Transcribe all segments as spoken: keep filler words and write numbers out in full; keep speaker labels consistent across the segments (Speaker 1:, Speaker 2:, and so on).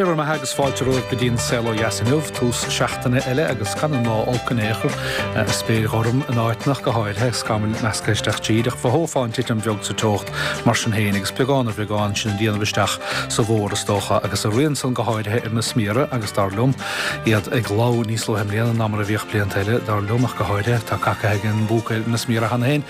Speaker 1: Dé bhur mbeatha agus fáilte romhaibh go dtí an Saol Ó Dheas inniu, tús seachtaine eile agus gan an lá olc in aon chor, spéir ghorm in áiteanna go háirithe, scamaill measctha isteach tríd, ach mhothófá an titim bheag sa teocht mar sin féin agus beagán ar bheagán sin ag déanamh isteach sa bhfómhar is dócha agus a rian san go háirithe ar na smiara agus dar liom iad ag lobhadh níos luaithe i mbliana ná mar a bhíodh blianta eile, dar liom ach go háirithe. Tá cacaithe ag an bpúca ar na smiara cheana féin.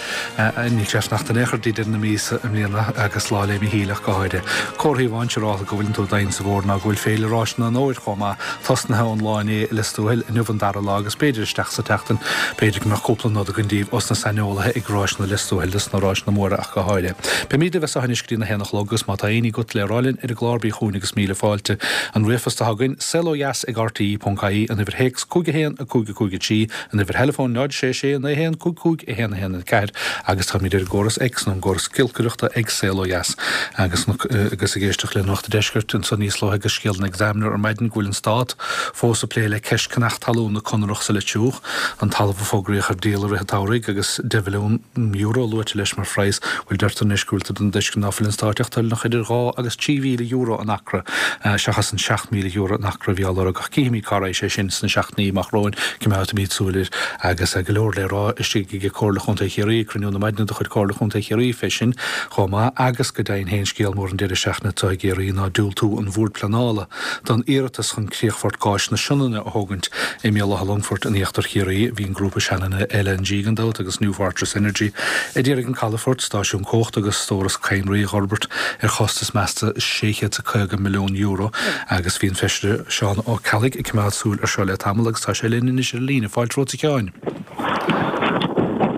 Speaker 1: Níl sé ag fanacht in aon chor dtí deireadh na míosa i mbliana agus Lá 'le Míchíl ach go háirithe. Comharthaí amháin siúráilte go bhfuileann tú domhain sa bhfómhar ná go bhfuil Féile Ráiseanna an Fhómhair chomh maith, tosnaithe ón lá inné i Lios Tuathail, inniu an dara lá agus b'fhéidir isteach sa tseachtain, b'fhéidir go mbeadh cúpla nod againn daoibh os na saineolaithe ag Ráiseanna Lios Tuathail, dos na ráiseanna móra ach go háirithe. Beimid libh as seo anois go dtí na haon a chlog agus má tá aon ní agat le rá linn ar an gclár bí chugainn agus míle fáilte. An ríomhphost atá againn, saolodheas ag rte ponc ie, an uimhir théacs cúig a haon a cúig a cúig a trí, an uimhir theileafóin náid sé sé naoi haon cúig cúig a haon a haon a ceathair agus táimid ar an gcóras X nó an gcóras giolcaireachta ag Saol Ó Dheas agus agus ag éisteacht le Nuacht an Deiscirt anso níos luaithe agus scéal an Examiner ar maidin go bhfuil an Stát fós ag plé le ceist ceannach talún na Conrach sa Leitir Fraic, an talamh a fógraíodh ar díol i rith an tsamhraidh agus deich mhilliún euro luaite leis mar phraghas. Bhuel deirtear anois go bhfuiltear den tuiscint ná fuil an Stát ach toilteanach idir dhá agus trí mhíle euro an acra seachas an seacht míle euro an acra a bhí á lorg ach cífimid cá raghaidh sé sin sna seachtainí amach romhainn, coimeádfaimid súil air agus go leor le rá istigh ag Comhairle Chontae Chiarraí, cruinniú na maidine de chuid Comhairle Chontae Chiarraí fé sin chomh maith agus go deimhin féin scéal mór an deireadh seachtaine atá i gCiarraí ná diúltú an Bhoird Pleanála don iarratas chun críochfort gáis na Sionainne a thógaint i mBéal Átha Longfoirt in íochtar Chiarraí. Bhí an grúpa Sionainne LNG gan dabht agus New Fortress Energy ag iarraidh an calafort, stáisiún cumhachta agus stóras cadhnraí a fhorbairt ar chostas measta sé chéad is caoga milliún euro agus bhí an Feisire Seán Ó Ceallaigh ag coimeád súil ar seo le tamall agus tá sé linn anois ar an líne. Fáilte romhat a Sheáin.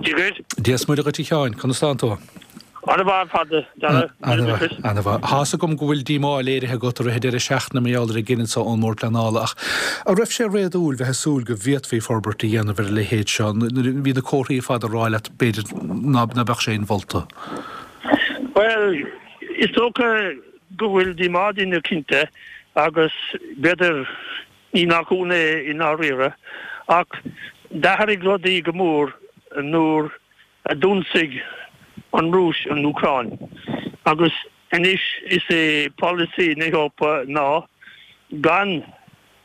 Speaker 2: Dia dhuit.
Speaker 1: Dia is Muire dhuit a Sheáin, conas tánn tú?
Speaker 2: Ana-mhaith ar fad, a Dhara.
Speaker 1: Ana-mhaith, ana-mhaith. Tá's agam go bhfuil díomá léirithe agat i rith an deireadh seachtaine mar gheall ar an gcinneadh so ón mBord Pleanála ach an raibh sé réadúil bheith ag súil go bhféadfaí forbairt a dhéanamh ar a leithéid seo nuair a bhí na comharthaí ar fad ag rá leat b'fhéidir ná beadh sé inmholta?
Speaker 2: Bhuel, is dócha go bhfuil díomá ar dhaoine cinnte agus b'fhéidir ní nach ionadh é i ndáiríre ach d'athraigh rudaí go mór nuair a d'ionsaigh an Rúis an Úcráin agus anois is é polasaí na hEorpa ná gan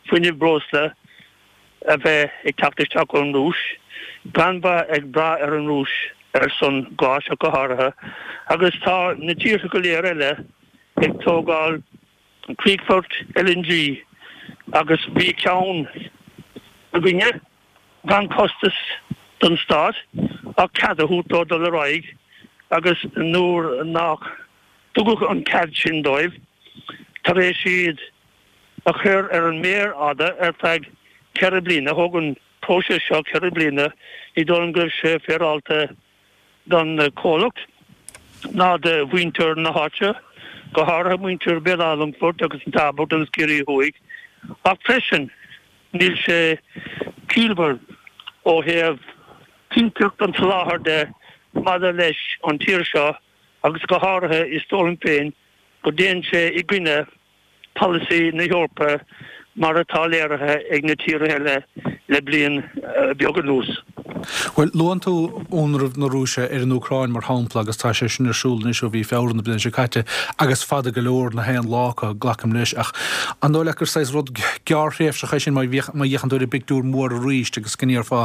Speaker 2: fuinneamh breosla a bheith ag teacht isteach ón Rúis, gan bheith ag brath ar an Rúis ar son gáis ach go háirithe, agus tá na tíortha go léir eile ag tógáil críochfoirt LNG agus bhí ceann againne gan costas don stát ach cead a thabhairt dó dul ar aghaidh agus nuair nach dtugadh an cead sin dóibh tar éis iad a chur ar an méar fhada ar feadh ceithre bliana, thóg an próiseas seo ceithre bliana, ní dóigh liom go raibh sé féaráilte don chomhlacht ná do mhuintir na háite, go háirithe muintir Bhéal Átha Longfoirt agus an Tairbeart agus Ciarraí Thuaidh, ach freisin níl sé ciallmhar ó thaobh cinnteacht an tsoláthair de maidir leis an tír seo agus go háirithe is dóigh liom féin go dtéann sé i gcoinne polasaí na hEorpa mar atá léirithe ag na tíortha eile le bliain beag anuas.
Speaker 1: Bhuel, luann tú ionradh na Rúise ar an Úcráin mar shampla agus tá sé sin ar siúl anois ó mhí Feabhra na bliana seo caite agus fada go leor na haon lá acu, glacaim leis, ach an dóigh leat gur saghas rud gearrthréimhseach é sin má fhéachann tú ar an bpictiúr mór arís agus go ndéarfá,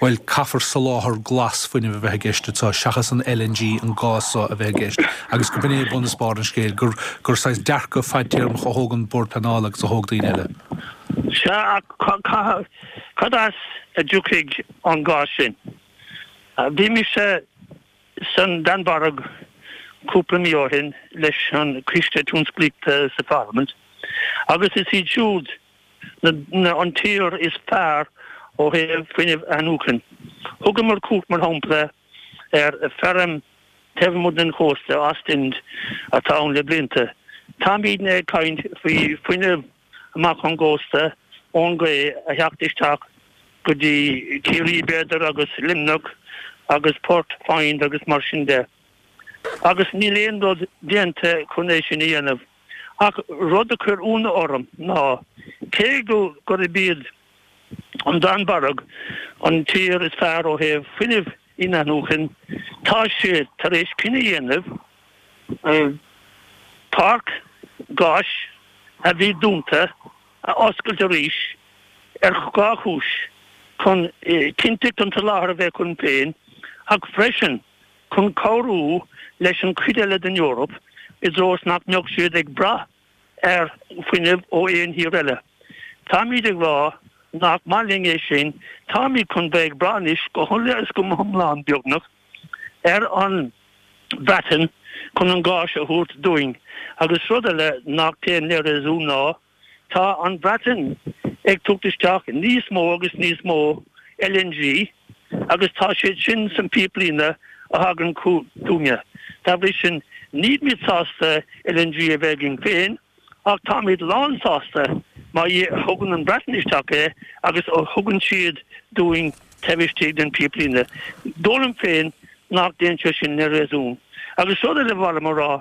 Speaker 1: bhuel, caithfear soláthar glas fuinnimh a bheith i gceist anseo seachas an LNG, an gás so a bheith i gceist agus go b'in é bun is barr an scéil, gur gur saghas dearcadh fadtéarmach a thóg an Bord Pleanála agus a thóg daoine eile.
Speaker 2: Sea, ach cad as a dtiocfaidh an gás sin? Bhí mise san Danmhairg cúpla mí ó shin leis an Coiste Tionsclaíochta sa Pharlaimint agus is iad siúd an tír is fearr ó thaobh fuinneamh athnuachan. Thugamar cuairt, mar shampla, ar feirm taobh amuigh den chósta, Ostend, atá ann le blianta. Táimidne ag caint faoi fuinneamh amach ón gcósta, ón ghaoth, a theacht isteach go dtí Ciarraí b'fhéidir agus Luimneach agus Port Foynes agus mar sin de. Agus níl aon rud déanta chun é sin a dhéanamh. Ach rud a chuir ionadh orm ná cé go gurb iad an Danmhairg an tír is fearr ó thaobh fuinnimh inathnuachan, tá siad tar éis cinneadh a dhéanamh páirc gáis a bhí dúnta a oscailt arís ar dhá chúis, chun cinnteacht an tsoláthair a bheith againn féin ach freisin chun cabhrú leis an chuid eile den Eoraip i dtreo is nach mbeadh siad ag brath ar fuinneamh ó aon thír eile. Táimid ag rá nach maith linn é sin, táimid chun bheith ag brath anois go huile is go hiomlán, beagnach, ar an Bhreatain chun an gás a thabhairt dúinn. Agus rud eile nach dtéann le réasún ná tá an Bhreatain ag tabhairt isteach níos mó agus níos mó L N G agus tá siad sin san píoplíne a thagann chugainne. Dá bhrí sin, nílimid sásta L N G a bheith againn féin, ach táimid lánsásta má thugann an Bhreatain isteach é agus ó thugann siad dúinn taobh istigh den píoplíne. Dóigh liom féin nach dtéann sé sin le réasún. Agus rud eile ba mhaith liom a rá,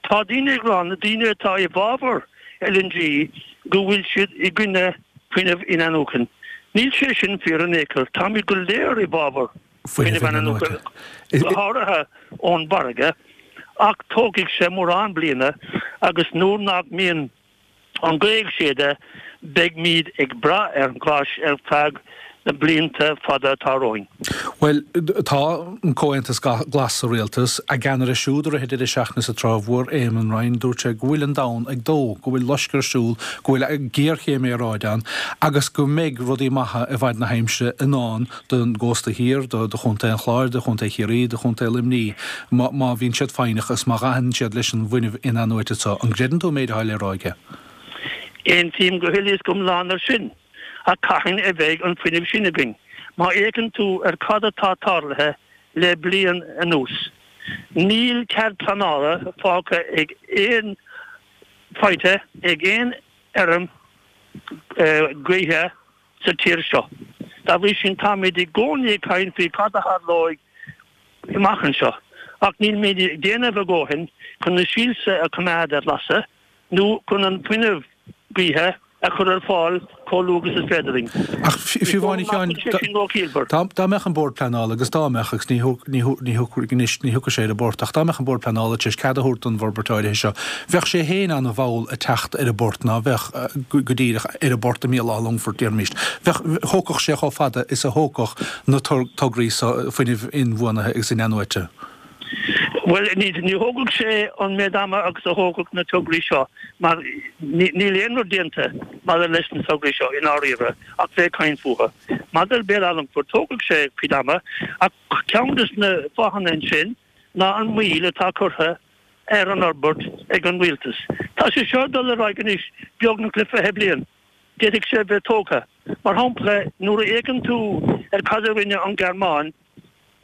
Speaker 2: tá daoine ag rá, na daoine atá i bhfabhar L N G, go bhfuil siad i gcoinne fuinneamh in-athnuaite. Níl sé sin fíor in aon chor, táimid go léir i bhfabhar fuinneamh in-athnuaite, go háirithe ón bhfarraige, ach tógfaidh sé mórán bliana agus nuair nach mbíonn an ghaoth ag séideadh beimid ag brath ar an ghás ar feadh na blianta fada atá romhainn.
Speaker 1: Bhuel, tá an Comhaontas Glas sa rialtas, a gceannaire siúd i rith an deireadh seachtaine sa Trá Mhór, Eamon Ryan, dúirt sé go bhfuil an domhan ag dó, go bhfuil loisceadh ar siúl, go bhfuil géarchéim aeráide ann agus go mbeidh rudaí maithe i bhfad na haimsire i ndán don gcósta thiar, do Chontae an Chláir, do Chontae Chiarraí, do Chontae Luimnigh, má má bhíonn siad foighneach agus má ghabhann siad leis an bhfuinneamh in-athnuaite seo. An gcreideann tú an méid atá le rá aige?
Speaker 2: Aontaím go huile is go hiomlán ar sin. Ach cathain a bheidh an fuinneamh sin againn? Má fhéachann tú ar cad atá tarlaithe le bliain anuas, níl cead pleanála fágtha ag aon faighte ag aon fheirm gaoithe sa tír seo. Dá bhrí sin táimid i gcónaí ag caint faoi cad a tharlóidh amach anseo, ach nílimid ag déanamh a dhóthain chun na soilse a choimeád ar lasadh nó chun an fuinneamh gaoithe a chur ar fáil chomh luath agus is féidir linn.
Speaker 1: Ach fiú amháin, a Sheáin, dá mbeadh an Bord Pleanála agus dá mbeadh, agus ní ní thiocfaidh sé ar an bport, ach dá mbeadh an Bord Pleanála tar éis cead a thabhairt don bhforbairt áirithe seo, bheadh sé féin an-mhall ag teacht ar an bport ná bheadh go díreach ar an bport i mBéal Átha Longfoirt, déarfaimis. Bheadh, thógfadh sé chomh fada is a thógfadh na tograí seo fuinnimh inbhuanaithe agus in-athnuaite.
Speaker 2: Bhuel, ní ní thógfadh sé an méid ama agus a thógfadh na tograí seo, mar níl aon rud déanta maidir leis na tograí seo i ndáiríre ach bheith ag caint fúthu. Maidir le Béal Átha Longfoirt, tógfaidh sé cuid ama, ach ceann des na fáthanna ansin ná an mhoill atá curtha ar an fhorbairt ag an rialtas. Tá sé seo ag dul ar aghaidh anois beagnach le fiche bliain. D'fhéadfadh sé bheith tógtha. Mar shampla, nuair a fhéachann tú ar cad a rinne an Ghearmáin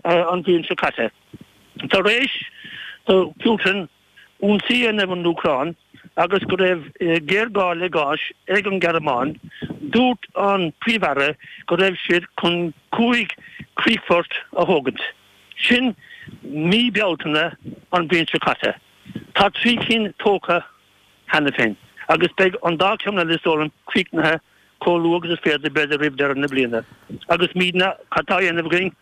Speaker 2: an bhliain seo caite, tar éis do Putin ionsaí a dhéanamh ar an Úcráin agus go raibh géarghá le gás ag an Ghearmáin, dúirt an Príomh-Aire go raibh siad chun cúig chríochfort a thógaint. Sin mí Bealtaine an bhliain seo caite. Tá trí cinn tógtha cheana féin agus beidh an dá cheann eile is dóigh liom críochnaithe chomh luath agus is féidir, b'fhéidir roimh deireadh na bliana. Agus muidne, cad tá á dhéanamh againn?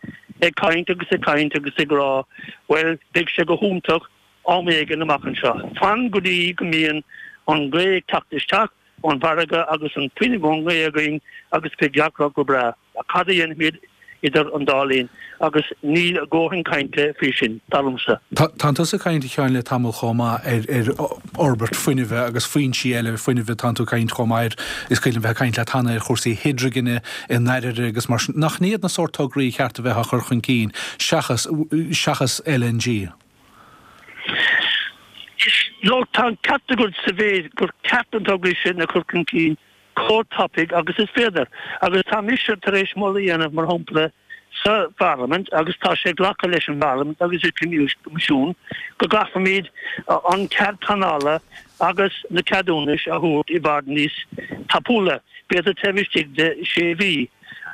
Speaker 2: Ag caint agus ag caint agus ag rá, bhuel, beidh sé go hiontach am éigin amach anseo. Fan go dtí go mbíonn an ghaoth ag teacht isteach ón bhfarraige agus an fuinneamh ón ngaoth againn agus beidh gach rud go breá. Ach cad a dhéanfaimid idir an dá linn? Agus níl a dhóthain cainte faoi sin, dar liomsa.
Speaker 1: Tánn tusa ag caint, a Sheáin, le tamall chomh maith ar ar fhorbairt fuinnimhe agus foinsí eile fuinnimhe. Tánn tú ag caint chomh maith ar, is cuimhin liom bheith ag caint leat cheana ar chúrsaí hidrigine i ndáiríre agus mar sin. Nach iad na sórt tograí a cheart a bheith á chur chun cinn seachas seachas L N G?
Speaker 2: Is nó tá an ceart agat sa mhéid gur ceart na tograí sin a chur chun cinn chomh tapaidh agus is féidir. Agus tá mise tar éis moladh a dhéanamh, mar shampla, sa Pharlaimint, agus tá sé glactha leis an bParlaimint agus an Coimisiún, go gcaithfimid an cead pleanála agus na ceadúnais a thabhairt i bhfad níos tapúla, b'fhéidir taobh istigh de sé mhí.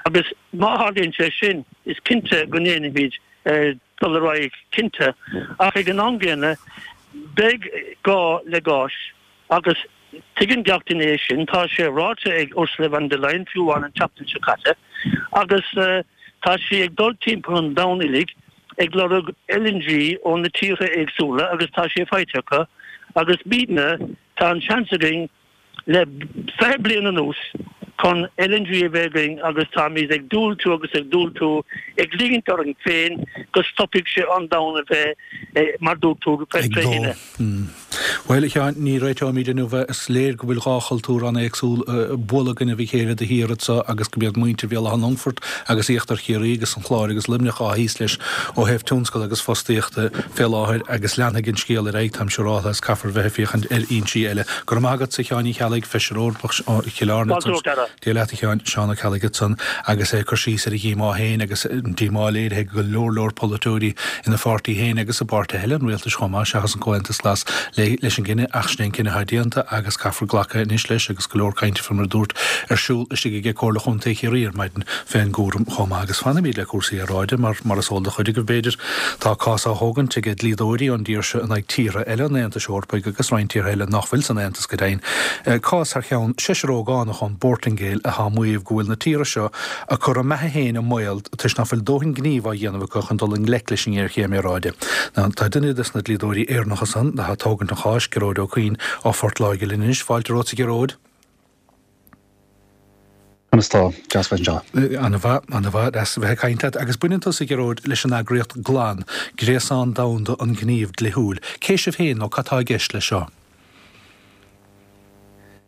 Speaker 2: Agus má tharlaíonn sé sin, is cinnte go ndéanfaimid dul ar aghaidh cinnte. Ach ag an am gcéanna, beidh gá le gás agus tuigeann gach duine é sin. Tá sé ráite ag Ursula von der Leyen fiú amháin an tseachtain seo caite agus tá sí ag dul timpeall an domhain uilig ag lorg L N G ó na tíortha éagsúla agus tá sé faighte acu agus muidne, tá an seans againn le fiche bliain anuas chun L N G a bheith againn agus táimid ag diúltú agus ag diúltú, ag ligint orainn féin go stopfaidh sé an domhan a bheith, mar dúirt tú,
Speaker 1: tré thine. Bhuel, a Sheáin, ní réiteoimid inniu é. Is léir go bhfuil dhá chultúr an-éagsúil ag bualadh i gcoinnibh a chéile de shíor anso agus go mb'iad muintir Bhéal Átha an Longfoirt agus Íochtar Chiarraí agus an Chláir agus Luimneach atá thíos leis ó thaobh tionscal agus fostaíochta fé láthair agus leanfaidh an scéal ar aghaidh, táim siúráltha, is caithfear bheith ag féachaint ar fhoinsí eile. Go raibh maith agatsa, a Sheáin Uí Cheallaigh, Feisire Eorpach ó Chill Airne. Dia leat, a Sheáin, Seán Ó Ceallaigh ansan agus é ag cur síos ar a dhíomá féin agus an díomá léirithe ag go leor leor polaiteoirí ina pháirtí féin agus i bpáirtithe eile an rialtais chomh maith, seachas an Comhaontas Glas, leis an gcinneadh ach sin é an cinneadh atá déanta agus caithfear glacadh anois leis agus go leor cainte fé mar a dúrt ar siúl istigh aige Comhairle Chontae Chiarraí ar maidin fén gcúram chomh maith. Agus fanfaimid le cúrsaí aeráide mar, mar is eol do chuid agaibh b'fhéidir, tá cás á thógaint ag dlíodóirí ón dtír seo in aghaidh tíortha eile an Aontais Eorpaigh agus roinnt tíortha eile nach bhfuil san Aontas go deimhin, cás thar cheann seisear ógánach ón bPortaingéil atá ag maíomh go bhfuil na tíortha seo ag cur a mbeatha féin i mbaol toisc nach bhfuil dóthain gnímh á dhéanamh acu chun dul i ngleic leis an ngéarchéim aeráide. Tá duine des na dlíodóirí Éireannacha san atá ag tógaint an cháis, Gearóid Ó Cuinn ó Phort Láirge linn anois. Fáilte romhat, a Ghearóid.
Speaker 3: Conas tá? Deas bheith anseo.
Speaker 1: Ana-mhaith, ana-mhaith, deas a bheith ag caint leat. Agus baineann tusa, a Ghearóid, leis an eagraíocht GLAN, Gréasán Domhanda an Ghnímh Dlíthiúil. Cé sibh féin nó cad tá i gceist leis seo?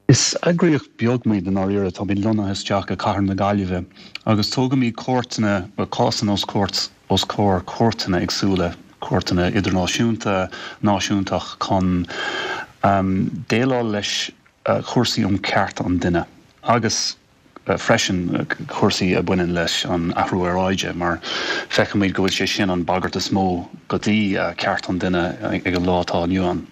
Speaker 3: Is eagraíocht beag muid i ndáiríre, táimid lonnaithe isteach i cathair na Gaillimhe agus tógaimid cúirteanna, cásanna os cúirt, os comhair cúirteanna éagsúla, cúirteanna idirnáisiúnta, náisiúntach chun déileáil leis chúrsaí um cearta an duine agus freisin cúrsaí a bhaineann leis an athrú aeráide mar feicimid go bhfuil sé sin an bagairt is mó go dtí cearta an duine ag an lá atá inniu ann.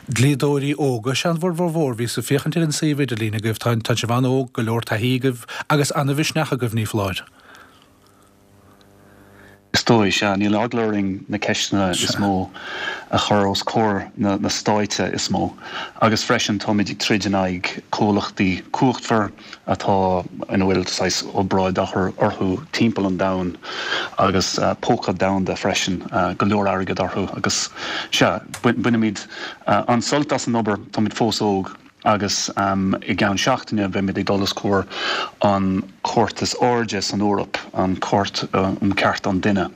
Speaker 1: Dlíodóirí óga is ea bhur bhformhór. Bhíos ag féachaint ar an suíomh idirlín agaibh. Tá tá sibh an-óg, go leor taithí agaibh agus an-mhisneach agaibh, ní foláir.
Speaker 3: Is dóigh, sea. Níl eagla orainn na ceisteanna is mó a chur os comhair na na stáite is mó. Agus freisin táimid ag troid in aghaidh comhlachtaí cumhachtmhar atá ina bhfuil saghas obráid á chur orthu timpeall an domhain agus póca domhanda freisin, go leor airgead orthu agus sea, bainimid an-sult as an obair, táimid fós óg agus i gceann seachtaine beimid ag dul os comhair an chúirt is airde san Eoraip, an Chúirt um Chearta an Duine.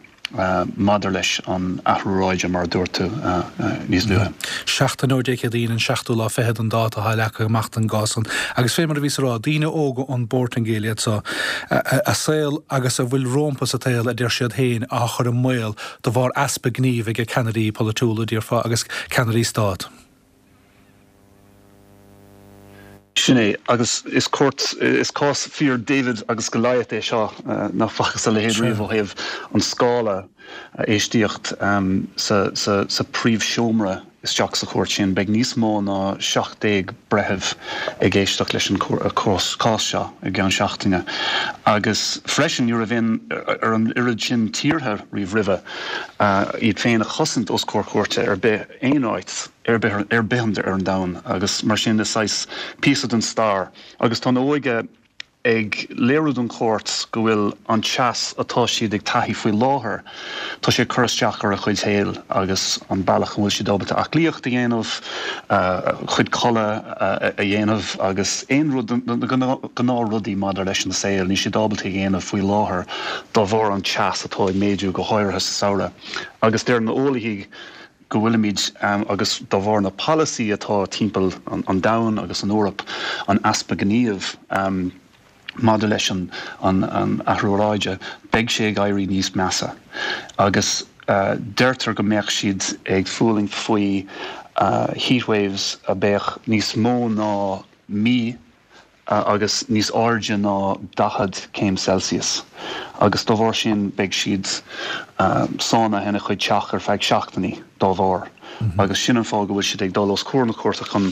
Speaker 3: maidir leis an athrú aeráide, mar a dúirt tú níos luaithe.
Speaker 1: Seachtain ó Dé Céadaoin, an seachtú lá fichead an dáta atá leagtha amach don gcás san. Agus fé mar a bhíos a rá, daoine óga ón bPortaingéil iad so, a saol agus a bhfuil rómpa sa tsaol, a deir siad féin, á chur i mbaol de bharr easpa gnímh ag ceannairí polaitiúla, déarfá, agus ceannairí stát.
Speaker 3: Sin é, agus is cúirt, is cás fíor David agus Goliath é seo, nach bhfacthas a leithéid riamh ó thaobh an scála, éistíocht sa sa príomhsheomra isteach sa chúirt sin. Beidh níos mó ná seacht déag breitheamh ag éisteacht leis an cás seo i gceann seachtaine. Agus freisin ní raibh aon ar an oiread sin tíortha riamh roimhe iad féin a chosaint os comhair cúirte ar bith aon áit. ar bith ar bith ar an domhan agus mar sin is saghas píosa den stair agus tá an óige ag léiriú don chúirt go bhfuil an teas atá siad ag taithí faoi láthair, tá sé ag cur isteach ar a chuid shaoil agus an bealach a bhfuil siad ábalta aclaíocht a dhéanamh, a chuid codladh a dhéanamh agus aon rud, na gnáthrudaí maidir leis an saol, níl siad ábalta a dhéanamh faoi láthair dá bharr an teas atá ag méadú go háirithe sa samhradh agus deir na eolaithe go bhfuilimid, agus dá bharr na polasaí atá timpeall an domhain agus san Eoraip, an easpa gníomh maidir leis an athrú aeráide, beidh sé ag éirí níos measa. Agus deirtear go mbeadh siad ag fulaingt faoi heatwaves a bheadh níos mó ná mí agus níos airde ná daichead céim Celsius, agus dá bharr sin beidh siad sáinnithe ina chuid teach ar feadh seachtainí dá bharr. Agus sin an fáth go bhfuil siad ag dul os comhair na cúirte chun,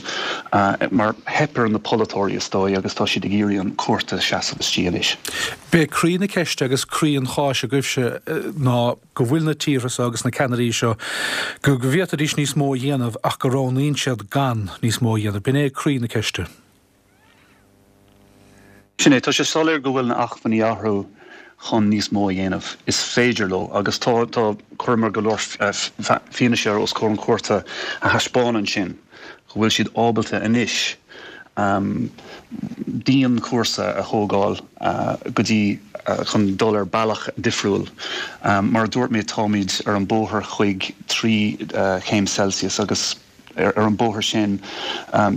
Speaker 3: mar theip ar na polaiteoirí is dóigh agus tá siad ag iarraidh an cúirt a seasamh istigh anois.
Speaker 1: B'é croí na ceiste agus croí an cháis agaibhse ná go bhfuil na tíortha seo agus na ceannairí seo, go bhféadfaidís níos mó a dhéanamh ach go roghnaíonn siad gan níos mó a dhéanamh. B'in é croí na ceiste.
Speaker 3: Sin é, tá sé soiléir go bhfuil na acmhainní acu chun níos mó a dhéanamh. Is féidir leo agus tá, tá, chuireamar go leor fianaise os comhair an chúirte a thaispeánann sin, go bhfuil siad ábalta anois dianchúrsa a thógáil go dtí chun dul ar bealach difriúil. Mar a dúirt mé táimid ar an bóthar chuig trí chéim Celsius agus ar an bóthar sin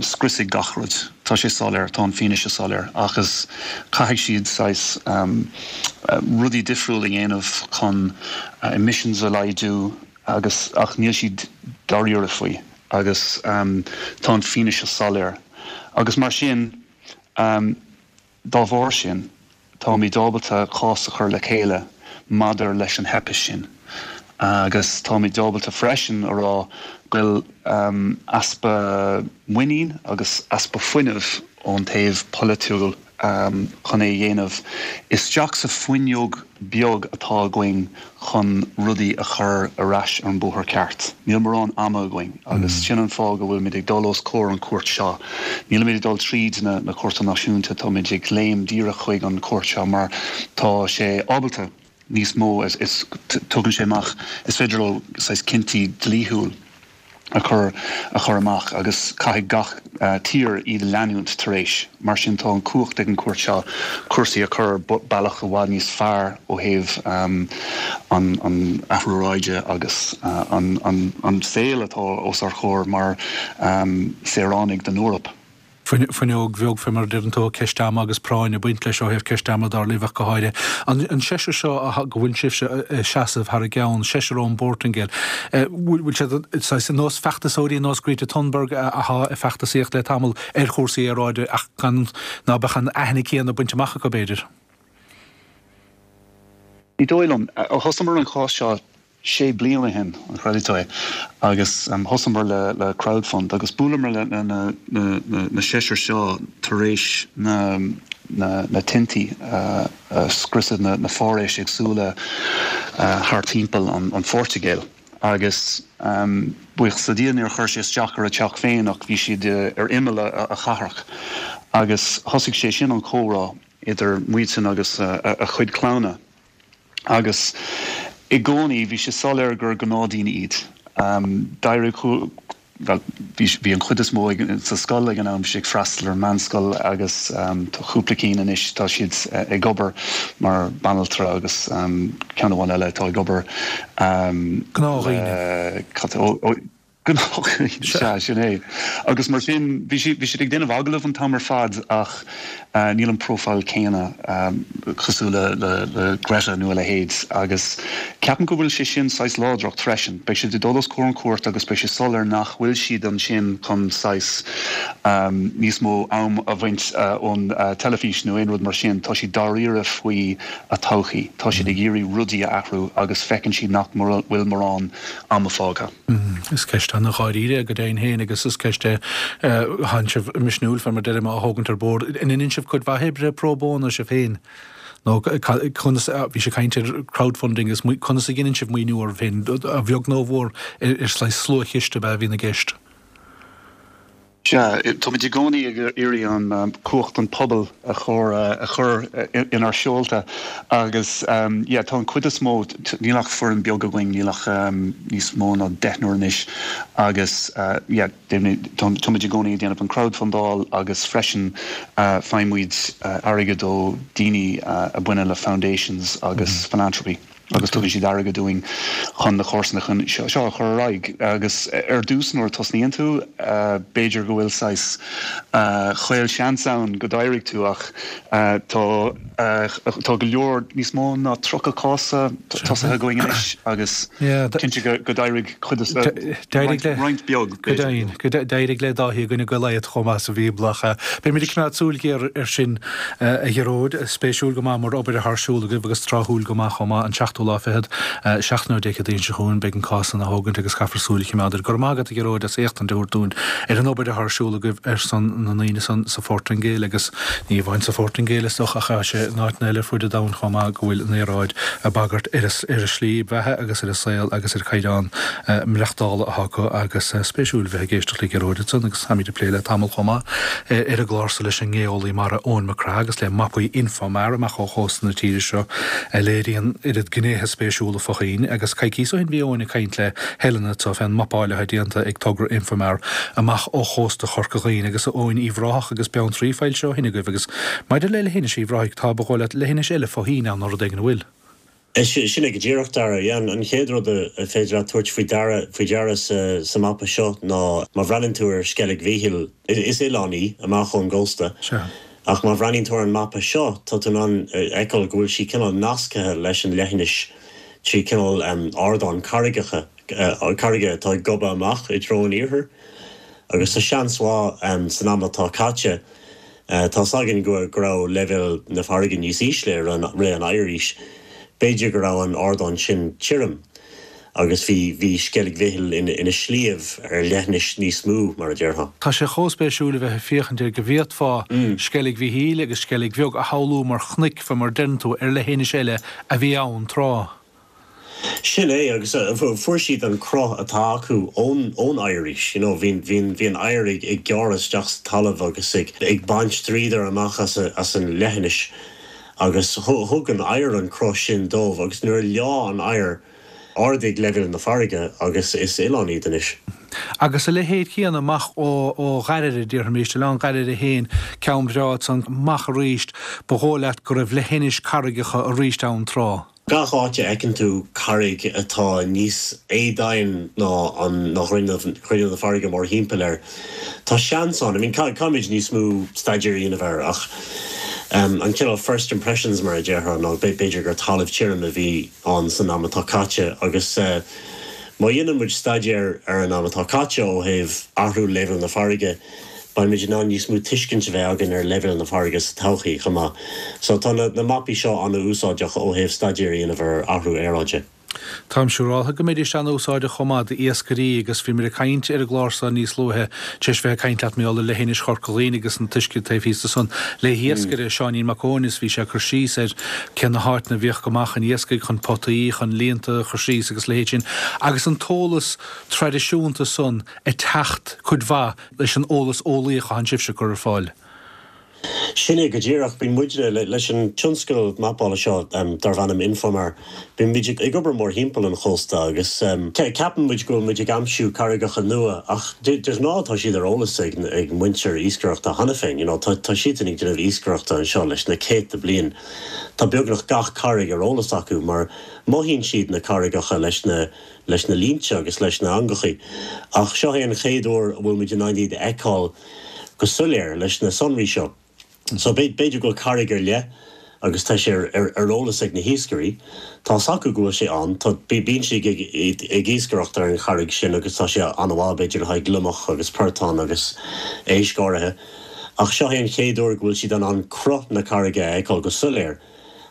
Speaker 3: scriosfaidh gach rud. Tá sé soiléir, tá an fianaise soiléir agus caithfidh siad saghas rudaí difriúil a dhéanamh chun emissions a laghdú agus ach níl siad dáiríre faoi agus tá an fianaise soiléir. Agus mar sin dá bharr sin táimid ábalta cás a chur le chéile maidir leis an theip sin. Agus táimid ábalta freisin a rá go bhfuil easpa muinín agus easpa fuinnimh ón taobh polaitiúil chun é a dhéanamh isteach sa fuinneog beag atá againn chun rudaí a chur ar ais ar an bóthar ceart. Níl mórán ama againn agus sin an fáth go bhfuilmid ag dul os comhair an cúirt seo. Nílimid ag dul tríd na na cúirteanna náisiúnta táimid ag léim díreach chuig an cúirt seo mar tá sé ábalta níos mó is is tugann sé amach is féidir leo saghas cinntí dlíthiúil a chur a chur amach agus caithfidh gach tír iad a leanúint tar éis. Mar sin tá an cumhacht ag an cúirt seo cúrsaí a chur bealach i bhfad níos fearr ó thaobh um, an, an athrú aeráide agus uh, an, an, an saol atá os ár gcomhair mar um, saoránaigh den Eoraip.
Speaker 1: Fuinneog bheag fé mar a deireann tú ceist ama agus práinn ag baint leis ó thaobh ceist ama dar libh go háirithe. An seisear seo go bhfuil sibhse seasamh thar a gceann, seisear ón bPortaingéil. Bhfuil siad ar nós feachtasóirí nós Greta Thunberg atá ag feachtasaíocht le tamall ar chúrsaí aeráide ach gan ná beadh an aithne céanna bainte amach acu b'fhéidir.
Speaker 3: Ní dóigh liom, thosaíomar an cás seo sé bliana ó shin an chreidfidh tú é agus um, thosaíomar le, le crowdfund agus bhuaileamar le na, na, na, na, na seisear seo tar éis na, na, na tintí uh, uh, scriosadh na, na foraois éagsúla uh, thar timpeall an, an Phortaingéil. Agus um, buíochas le Dia níor chuir sé isteach ar a teach féin ach bhí siad uh, ar imeall a, a chathrach. Agus thosaigh sé sin an comhrá idir muidne agus uh, a, a chuid clanna. Agus i gcónaí bhí sé soiléir gur gnáthdhaoine iad. Um, D'éirigh bhí an chuid is mó sa scoil ag an am ag freastal ar meánscoil agus um, tá cúpla cinn anois tá siad uh, ag obair mar banaltra agus um, ceann amháin eile atá ag obair um,
Speaker 1: Gnáthdhaoine.
Speaker 3: Gnáthdhaoine sin é. Agus mar sin bhí siad ag déanamh agallamh an t-am ar fad ach uh, níl an profile céanna um, cosúil le, le, le Greta nó a leithéid agus ceapaim go bhfuil sé sin saghas láidreacht freisin. Beidh siad ag dul os comhair an cúirt agus beidh sé soiléir nach bhfuil siad ansin chun saghas um, níos mó am a bhaint uh, ón uh, teilifís nó aon rud mar sin, tá siad dáiríre faoi a todhchaí. Tá siad ag iarraidh rudaí a athrú agus feiceann siad nach bhfuil mórán ama fágtha.
Speaker 1: Mm, is ceist an-dháiríre go deimhin féin agus is ceist tá sibh misniúil fé mar a deirim á thógaint ar bord. An ndéanann sibh cuid mhaith oibre pro bono sibh féin. nó conas bhí sé caint ar crowdfunding is conas a dhéanann sibh maoiniú oraibh féin a bheag nó a mhór ar saghas sluachiste a bhíonn i gceist.
Speaker 3: Sea, táimid i gcónaí ag iarraidh an cumhacht an pobal a chur a chur inár seolta agus um, yeah, tá an chuid is mó níl ach foireann beag againn níl ach um, níos mó ná deichniúr anois agus uh, yeah, táimid i gcónaí ag déanamh an crowdfundáil agus freisin uh, faighimid uh, airgead ó daoine uh, a bhaineann le foundations agus mm -hmm. philanthropy. agus tugann siad airgead dúinn chun na cásanna chun seo a chur ar aghaidh agus ar dtús nuair a tosnaíonn tú b'fhéidir go bhfuil saghas caolseans ann go d'éireoidh tú ach tá tá go leor níos mó ná tríocha cás tosaithe againn anois agus cinnte go d'éirigh chuid roinnt beag.
Speaker 1: D'éirigh le Dáithí i gcoinne Goliath chomh maith sa Bhíobla. Beimid ag coimeád súil ghéar ar sin a Ghearóid, spéisiúil go maith mar obair atá ar siúl agaibh agus tráthúil go maith chomh maith an seachtú lá fichead seachtain ó Dé Céadaoin seo chugainn beidh an cás á thógaint agus caithfear súil a choimeád air. Go raibh maith agat a Ghearóid as éachtaint a thabhairt dúinn ar an obair atá ar siúl agaibh ar son na ndaoine san sa Phortaingéil agus ní amháin sa Phortaingéil is dócha ach tá sé in áiteanna eile fud an domhain chomh maith go bhfuil an aeráid ag bagairt ar a slí bheatha agus ar a saol agus ar chaighdeán maireachtála atá acu agus spéisiúil bheith ag éisteacht le Gearóid ansan agus táimid ag plé le tamall chomh maith ar an gclár so leis an ngeolaí mara Eoin Mac Craith agus le mapaí Infomar amach ó chósta na tíre seo a léiríonn oiread gnéithe spéisiúla fá choinne agus coicís ó shin bhí Eoin ag caint le Helena anseo fén mapáil atá déanta ag togra Infomar amach ó chósta Chorca Dhuibhne agus a Eoin Uíbh Ráthach agus Beanntraí foilsithe ó shin agaibh agus maidir le leithinis Uíbh Ráthaigh tá ba dhóigh leat leithinis eile fá thoinn ann nó rud éigin an bhfuil.
Speaker 4: Sin é go díreach Dara. An chéad rud a féidir leat tabhairt faoi deara faoi deara sa sa mapa seo ná má bhreathnaíonn tú ar Sceilg Mhichíl is oileán í amach ón gcósta. Ach má bhreathnaíonn tú ar an mapa seo tá tú in ann feiceáil go bhfuil sí cineál nasctha leis an leithinis trí cineál ardán carraigeacha carraige atá ag gobadh amach i dtreo an iarthair. Agus tá seans mhaith san am atá caite tá a fhios againn go go raibh leibhéal na farraige níos ísle i rith an oighearaois. B'fhéidir go raibh an ardán sin tirim agus bhí bhí Sceilg Mhichíl ina ina sliabh ar leithinis níos mó mar a déarfá.
Speaker 1: Tá sé chomh spéisiúil a bheith ag féachaint ar go bhféadfá Sceilg Mhichíl agus Sceilg Bheag a shamhlú mar chnoic fá mar deireann tú ar leithinis eile a bhí ann tráth.
Speaker 4: Sin é agus fuair siad an cruth atá acu ón ón oighearaois, you know, bhí bhí bhí an oighear ag ag gearradh isteach sa talamh agus ag ag baint dríodar amach as a, as an leithinis. agus thug an oighear an cruth sin dóibh agus nuair a leá an oighear ardaigh leibhéal na farraige agus is oileán iad anois.
Speaker 1: Agus a leithéid céanna amach ó ó Ghairire déarfaimis Oileán Ghairire féin ceann breá ansan amach arís ba dhóigh leat go raibh leithinis carraigeacha arís ann tráth.
Speaker 4: Gach áit a fheiceann tú carraig atá níos éadomhaine ná an ná grinneall na farraige mórthimpeall air. Tá seans ann, I mean caithfimid níos mó staidéir a dhéanamh air ach um, an cineál first impressions mar a déarfá ná b'fhéidir gur talamh tirim a bhí ann san am atá caite agus uh, má dhéanann muid staidéar ar an am atá caite ó thaobh athrú leibhéal na farraige, beimid in ann níos mó tuiscint a bheith againn ar leibhéal na farraige sa todhchaí chomh maith. So tá na, na mapaí seo an-úsáideach ó thaobh staidéar a dhéanamh ar athrú aeráide.
Speaker 1: Táim siúráltha go mbeidís an-úsáideach chomh maith d'iascairí agus bhí muid ag caint ar an gclár seo níos luaithe tar éis bheith ag caint leat mar gheall ar leithinis Chorca Dhuibhne agus an t-uisce taobh thíos de san le hiascaire Seáinín Mac Eoin is bhí sé ag cur síos ar cé na háiteanna a bhíodh go maith chun iascaigh chun potaí chun líonta a chur síos agus leithéid sin agus an t-eolas traidisiúnta san ag teacht cuid mhaith leis an eolas eolaíoch atá sibhse ag cur ar fáil.
Speaker 4: Sin é go díreach bíonn muidne leis an tionscal mapála seo um, darb ainm Infomar. Bíonn muid ag obair mórthimpeall an chósta agus um, ceapann muid go bhfuil muid ag aimsiú carraigeacha nua ach de ghnáth tá siad ar eolas ag, ag muintir iascaireachta cheana féin, you know, tá, tá siad ag déanamh iascaireachta anseo leis na céadta bliain. Tá beagnach gach carraig ar eolas acu mar mothaíonn siad na carraigeacha leis na leis na línte agus leis na heangacha. Ach seo é an chéad uair a bhfuil muid in ann iad a fheiceáil go soiléir leis na sonraí seo. So b'fhéidir go carraig ar leith agus tá sé ar, ar eolas ag na hiascairí, Tá acu go bhfuil sé ann, Tá bíonn siad ag, ag iascaireacht ar an charraig sin agus tá sé an-mhaith b'fhéidir le haghaidh gliomach agus portán agus éisc áirithe. Ach seo é an chéad uair go bhfuil siad in ann cruth na carraige a fheiceáil go soiléir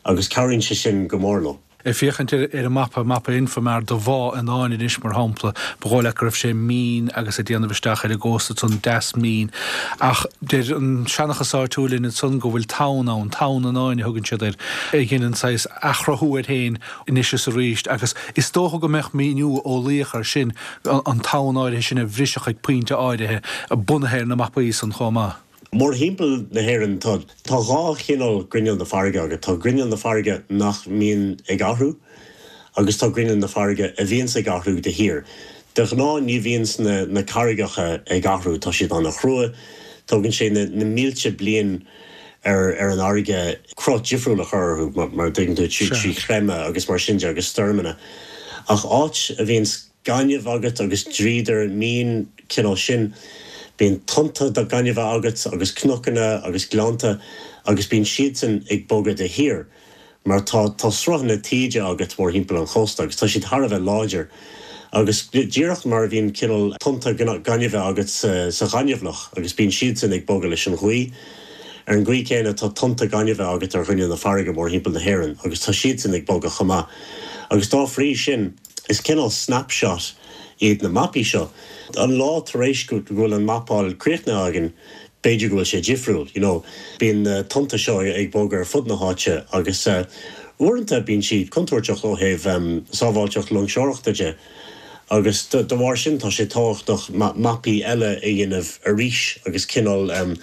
Speaker 4: agus cabhraíonn sé sin go mór leo.
Speaker 1: Ag féachaint ar ar an mapa mapa Infomar de Bhá an Fháin anois mar shampla, ba dhóigh leat go raibh sé mín agus ag déanamh isteach ar an gcósta san deas mín. Ach deir an seanchas áitiúil ansan go bhfuil tonn ann, tonn an Fháin a thugann siad air, a dhéanann saghas athchruthú air féin anois is arís agus is dócha go mbeadh míniú eolaíoch air sin an tonn áirithe sin a bhriseadh ag pointe áirithe bunaithe ar na mapaí san chomh maith.
Speaker 4: Mórthimpeall na hÉireann tá tá dhá chineál grinneall na farraige agat, tá grinneall na farraige nach mbíonn ag athrú agus tá grinneall na farraige a bhíonns ag athrú de shíor. De ghnáth ní bhíonn na, na carraigeacha ag athrú, tá siad an-chrua, tógann sé na, na mílte bliain ar ar an fharraige cruth difriúil a chur orthu mar, mar tuigeann tú trí trí chreimeadh agus mar sin de agus stoirmeanna. Ach áit a bhíonn gaineamh agat agus dríodar mín cineál sin, bíonn tonnta de gaineamh agat agus cnocanna agus gleannta agus bíonn siadsan ag bogadh de shíor, mar tá tá sruthanna taoide agat mórthimpeall an chósta agus tá siad thar a bheith láidir. Agus díreach mar a bhíonn cineál tonnta gainimhe agat sa, sa ghaineamhlach agus bíonn siadsan ag bogadh leis an ghaoth. Ar an gcaoi chéanna tá tonnta gainimhe agat ar ghrinneall na farraige mórthimpeall na hÉireann agus tá siadsan ag bogadh chomh maith. Agus dá bhrí sin is cineál snapshot iad na mapaí seo. An lá tar éis go bhfuil an mapáil críochnaithe againn, b'fhéidir go bhfuil sé difriúil, you know, bíonn na tonnta seo ag bogadh ar fud na háite agus uh, uaireanta bíonn siad contúirteach ó thaobh um, sábháilteacht loingseoireachta de. Agus de, de bharr sin tá sé tábhachtach ma mapaí eile a dhéanamh arís agus cineál um,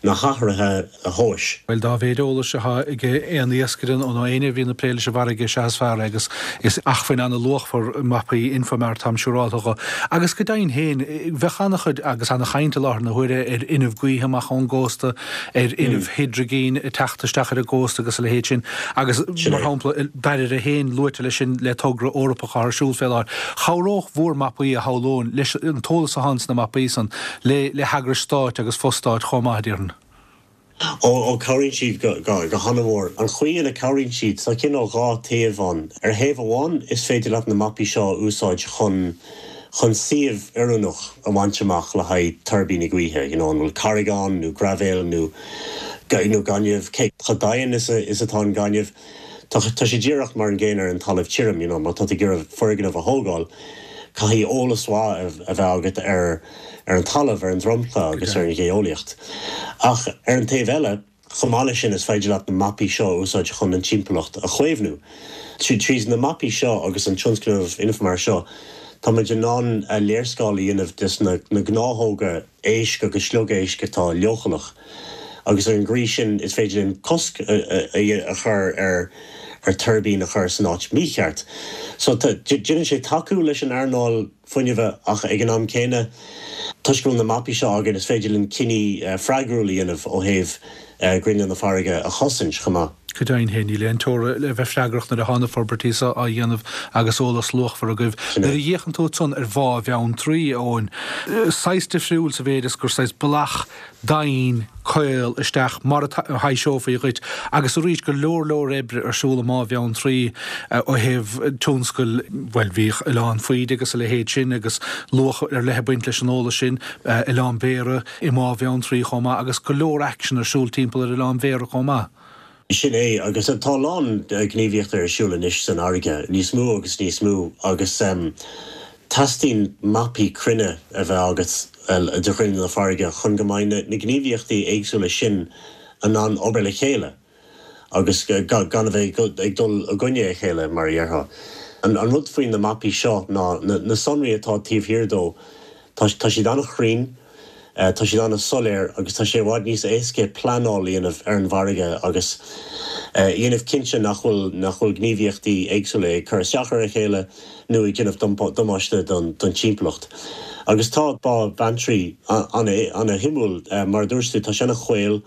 Speaker 4: na hathruithe a thomhas.
Speaker 1: Bhuel, dá mhéid eolais atá ag aon iascaire nó éinne a bhíonn ag plé leis an bhfarraige is ea is fearr agus is acmhainn an-luachmhar mapaí Infomar táim siúrálta dho. Agus go deimhin féin, bheadh an-chuid agus an-chaint i láthair na huaire ar fhuinneamh gaoithe amach ón gcósta, ar fhuinneamh hidrigine ag teacht isteach ar an gcósta agus a leithéid sin. Agus, mar shampla, Dairbhre féin luaite leis sin le togra Eorpach atá ar siúl fé láthair. Chabhródh bhur mapaí, a shamhlóinn, leis an t-eolas atá sna mapaí san le le heagrais stáit agus fo-stáit chomh maith, déarfainn.
Speaker 4: Ó, ó, cabhraíonn siad go, go, go han-mhór. An chaoi ina cabhraíonn siad, tá cineál dhá taobh ann. Ar thaobh amháin, is féidir leat na mapaí seo a úsáid chun, chun suíomh oiriúnach a bhaint amach le haghaidh tuirbíní gaoithe, you know, an bhfuil carraig ann nó graibhéal nó, nó gaineamh, cé chomh domhain is a, is atá an gaineamh. Tá, tá sé díreach mar an gcéanna ar an talamh tirim, you know, má tá tú ag iarraidh foirgneamh a thógáil, caithfidh eolas mhaith a bheith agat ar ar an talamh, ar an dromchla agus ar an gheolaíocht. Ach ar an taobh eile, chomh maith leis sin, is féidir leat na mapaí seo a úsáid chun an timpeallacht a chaomhnú. Trí na mapaí seo agus an tionscnamh Infomar seo, tá muid in ann léarscáil a dhéanamh des na gnáthóga éisc agus sliogéisc atá leochaileach agus ar an gcaoi sin is féidir linn cosc a chur ar ar tuirbín a chur san áit mícheart. So déanann sé tacú leis an earnáil fuinnimh ach ag an am céanna, toisc go bhfuil na mapaí seo againn, is féidir linn cinní freagrúil a dhéanamh ó thaobh grinneall na farraige a chosaint chomh maith.
Speaker 1: Go deimhin féin, níl aon teora le bheith freagrach nuair atá na forbairtí seo á dhéanamh agus eolas luachmhar agaibh. Nuair a fhéachann tú ansan ar Bhá Bheanntraí, a Eoin, saghas difriúil sa mhéid is gur saghas bealach domhain caol isteach mar a thaibhseofaí dhuit agus arís go leor leor oibre ar siúl i mBá Bheanntraí ó thaobh tionscail, bhuel bhíodh Oileán Faoide agus a leithéid sin agus luach ar leith ag baint leis an eolas sin, Oileán Béarra i mBá Bheanntraí chomh maith agus go leor aicsean ar siúl timpeall ar Oileán Bhéarra chomh maith.
Speaker 4: Sin é, agus tá a lán gníomhaíochta ar siúl anois san fharraige, níos mó agus níos mó agus teastaíonn mapaí cruinne a bheith agat de ghrinneall na farraige chun go mbeidh na gníomhaíochtaí éagsúla sin in ann obair le chéile agus gan a bheith ag dul i gcoinne a chéile, mar a déarfá. An rud faoi na mapaí seo ná na sonraí atá taobh thiar dó, tá siad an-chruinn, Tá siad an-soiléir agus tá sé i bhfad níos éasca pleanáil a dhéanamh ar an bhfarraige agus a dhéanamh cinnte nach bhfuil nach bhfuil gníomhaíochtaí éagsúla ag cur isteach ar a chéile nó ag déanamh damáiste don don timpeallacht. Agus tá Bá Bheanntraí an-shuimiúil. Mar a dúirt tú, tá sé an-chaol.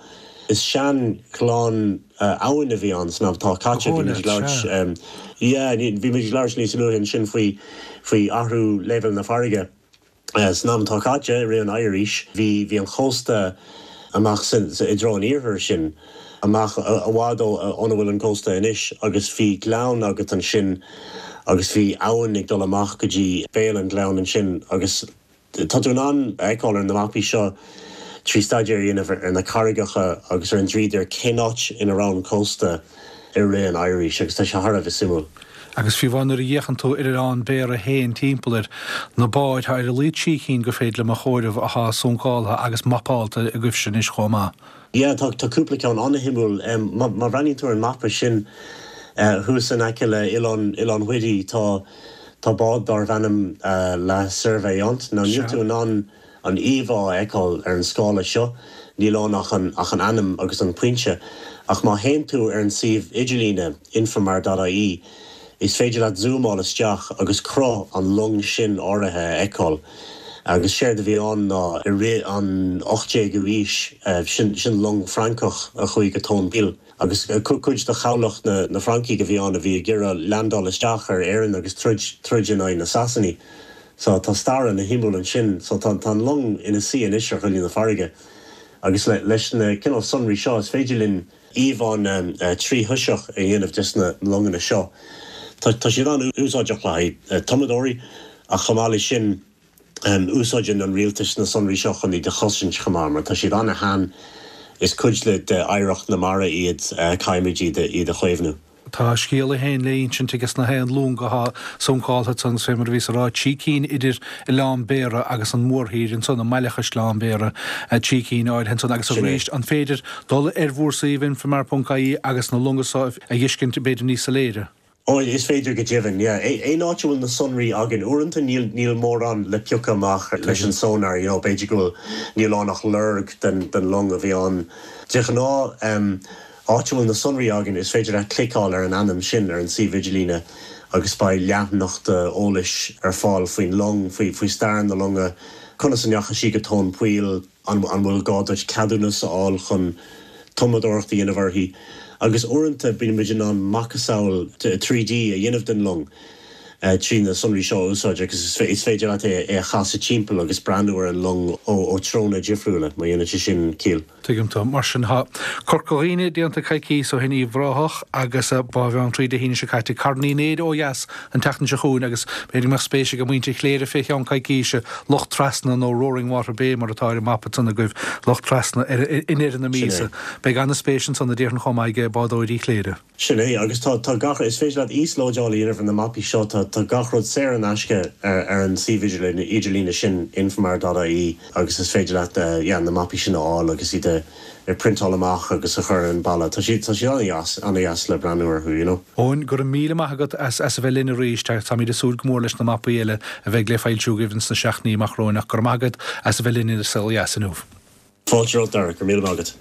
Speaker 4: Is sean-ghleann abhainn a bhí ann san am atá caite. Bhí muid ag labhairt, yeah, bhí muid ag labhairt níos luaithe ansin faoi faoi athrú leibhéal na farraige. San am atá caite, i rith an oighir-aois, bhí bhí an chósta amach san i dtreo an iarthair sin, amach i bhfad ó óna bhfuil an cósta anois, agus bhí gleann agat ansin agus bhí abhainn ag dul amach go dtí béal an ghleann ansin agus tá tú in ann a fheiceáil ar na mapaí seo trí staidéar a dhéanamh ar na carraigeacha agus ar an dríodar cén áit ina raibh an cósta i rith an oighir-aois agus tá sé thar a bheith suimiúil.
Speaker 1: Agus fiú amháin nuair a fhéachann tú ar Oileán Béarra féin timpeall air, na báid, tá ar a laghad trí cinn gur féidir liom a chomhaireamh athá suncáltha agus mapálta agaibhse anois chomh maith.
Speaker 4: Yeah, tá tá cúpla ceann an-shuimiúil. Má má bhreathnaíonn tú ar an mapa sin thuas in aice le Oileán Oileán Whiddy tá tá bád darbh ainm La Surveillante. Now níl tú in ann an íomhá a fheiceáil ar an scála seo, níl ann ach an ach an ainm agus an pointe. Ach má théann tú ar an suíomh idirlíne infomar dot ie, is féidir leat zúmáil isteach agus cruth an long sin áirithe a fheiceáil. Agus séard a bhí ann ná i rith an ocht déagú aois, sin sin long Francach a chuaigh go tóin poill. Agus cuid de chabhlach na na Francaigh a bhí ann a bhí ag iarraidh leaindeáil isteach ar Éirinn agus troid troid in aghaidh na Sasanaigh. So tá stair ana-shuimiúil ansin. So tá tá an long ina suí anois ar ghrinneall na farraige. Agus le leis na cineál sonraí seo is féidir linn íomhánna tríthoiseach a dhéanamh des na longanna seo. Tá tá siad an-úsáideach le haghaidh tumadóirí ach chomh maith leis sin úsáideann an rialtas na sonraí seo chun iad a chosaint chomh maith mar tá siad ana-shean, is cuid le d'oidhreacht na mara iad, caithfimid iad iad a chaomhnú.
Speaker 1: Tá a scéal é féin le insint aige sna haon long athá suncáltha ansan fé mar a bhíos a rá, trí cinn idir Oileán Béarra agus an mhórthír ansan, i mBaile Chaisleáin Bhéarra, trí cinn áirithe ansan agus
Speaker 4: Sin é.
Speaker 1: arís an féidir dul ar bhur suíomh infomar ponc ie agus na longa so a fheiscint b'fhéidir níos soiléire?
Speaker 4: Ó, is féidir go deimhin, yeah. Aon áit a bhfuil na sonraí againn, uaireanta níl níl mórán le piocadh amach leis an sonar, you know, b'fhéidir go bhfuil, níl ann ach lorg den den long a bhí ann. De ghnáth, em, áit a bhfuil na sonraí againn, is féidir leat cliceáil ar an ainm sin ar an suíomh idirlíne agus beidh leathanach eolais ar fáil faoin long, faoi faoi stair na longa, conas a ndeachaigh sí go tóin poill, an an bhfuil gá duit ceadúnas a fháil chun tumadóireacht a dhéanamh uirthi, agus uaireanta bíonn muid in ann macasamhail trí D a dhéanamh den long trí na sonraí seo a úsáid agus is féidir leat é a chasadh timpeall agus breathnú ar an long ó threonna difriúla, má dhéanann sé sin ciall.
Speaker 1: Tuigim dom. Mar sin, tá Corca Dhuibhne déanta coicíos ó shin, Uíbh Ráthach agus Bá Bheanntraí Dé hAoine seo caite, Carn Uí Néid ó dheas an tseachtain seo chugainn agus b'fhéidir go mbeadh spéis ag muintir Chléire fé cheann coicíse, Loch Trasna nó Roaring Water Bay mar atá ar an mapa san agaibh, Loch Trasna i ndeireadh na míosa. Beidh an-spéis ansan a déarfainn chomh maith ag bádóirí Chléire.
Speaker 4: Sin é, agus tá tá gach, is féidir leat íoslódáil a dhéanamh ar na mapaí seo, tá tá gach rud saor in aisce ar ar an suíomh idirlíne sin, infomar dot ie, agus is féidir leat yeah na mapaí sin a fháil agus iad a a phriontáil amach agus a chur ar an balla. Tá siad tá siad an-dheas, an-dheas le breathnú orthu, you know.
Speaker 1: Eoin, go raibh míle maith agat as as a bheith linn arís. Táimid ag súil go mór leis na mapaí eile a bheidh le foilsiú agaibh ins na seachtainí amach romhainn ach go raibh maith agat as a bheith linn ar An Saol Ó Dheas inniu.
Speaker 4: Fáilte romhat, Dara, go raibh míle maith agat.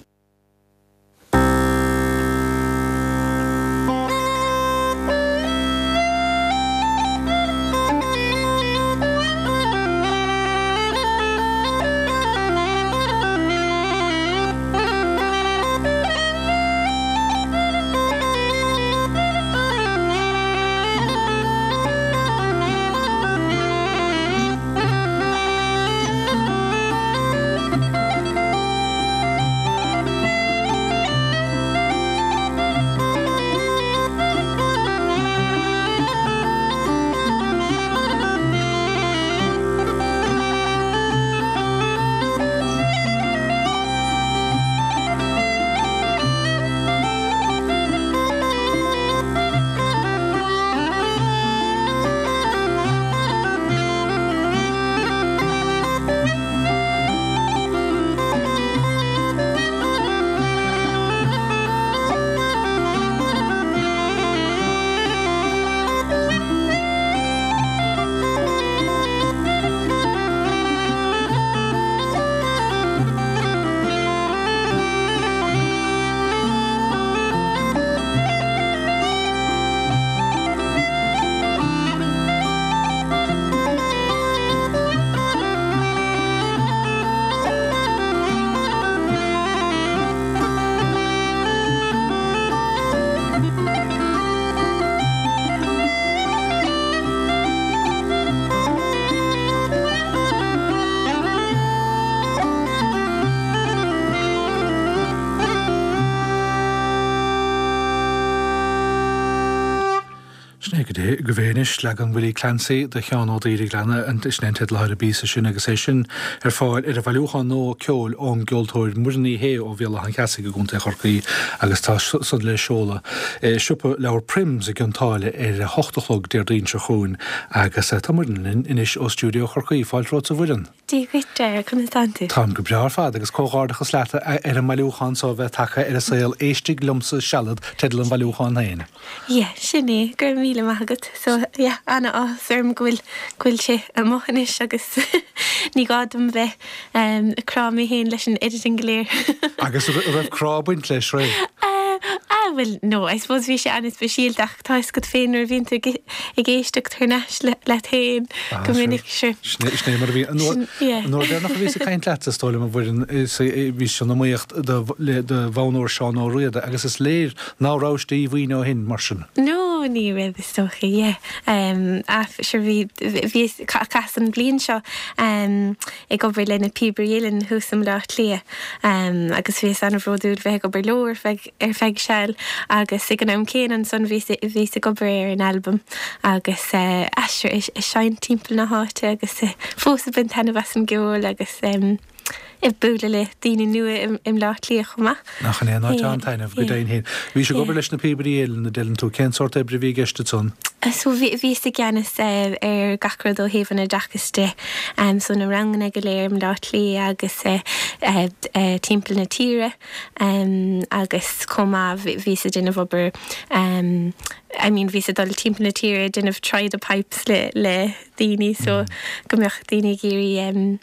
Speaker 1: Sin é go dté go bhféinis, leagan Willie Clancy de Sheán Ó Daoire Gleanna, sin é an teideal atá ar an bpíosa sin agus é sin ar fáil ar an bhailiúchán nua ceoil ón gceoltóir Muireann Ní Shé ó Bhéal Átha an Cheasaigh i gContae Chorcaí agus tá san le seoladh i siopa leabhar Prims i gCionn tSáile ar a hocht a chlog Déardaoin seo chugainn agus tá Muireann linn anois ó stiúideo Chorcaí. Fáilte romhat a Mhuireann.
Speaker 5: Dia dhuit, Dara, conas tánn tú?
Speaker 1: Táim go breá ar fad agus comhghairdeachas leat ar an mbailiúchán so a bheith tagtha ar an saol Éistigh Liomsa Sealad teideal an bhailiúcháin féin.
Speaker 5: Yeah, sin é, go raibh míle maith agat. So, yeah, an-áthas orm go bhfuil, go bhfuil sé amuigh anois agus ní gá dom bheith um, ag crá mé féin leis an editing go léir.
Speaker 1: Agus an raibh crá ag baint leis, raibh?
Speaker 5: Uh, ah, well, no, I suppose bhí sé an-speisialta ach tá fhios agat féin nuair a bhíonn tú ag, ag éisteacht thar n-ais le, leat féin
Speaker 1: Ah,
Speaker 5: go
Speaker 1: sure.
Speaker 5: minic, sure.
Speaker 1: Sin é sin é mar a bhí. An uair
Speaker 5: Sin, yeah.
Speaker 1: an uair deireanach a bhíos ag caint leat, is dóigh liom, a Mhuireann, is bhís san iomaíocht do, le, do Bhonn Óir Seán Ó Riada agus is léir ná rabhais díomhaoin ó shin, mar sin.
Speaker 5: No, ní raibh is dócha, yeah. Um, ah, sure bhí, bhí chaitheas an bhliain seo um, ag obair le na Píobairí Uilleann thuas i mBaile Átha Cliath um, agus bhíos an-bhródúil bheith ag obair leo ar feadh, ar feadh seal agus ag an am céanna ansan bhíos, bhíos ag obair ar an albam agus uh, ah, sure, ag seinnt timpeall na háite agus uh, fós ag baint taitneamh as an gceol agus um, ag bualadh le daoine nua i mBleá Cliath chomh maith.
Speaker 1: Nach in é an áit an-taitneamh, go deimhin féin. Bhís ag obair leis na Píobairí Uilleann, a deireann tú. Cén sórt oibre a bhí i gceist ansan?
Speaker 5: So bhíos i gceannas ar gach rud ó thaobh an oideachais de, so na ranganna go léir i mBleá Cliath agus timpeall na tíre agus chomh maith bhíos ag déanamh obair I mean bhíos ag dul timpeall na tíre ag déanamh try the pipes le le daoine so go mbeadh daoine ag iarraidh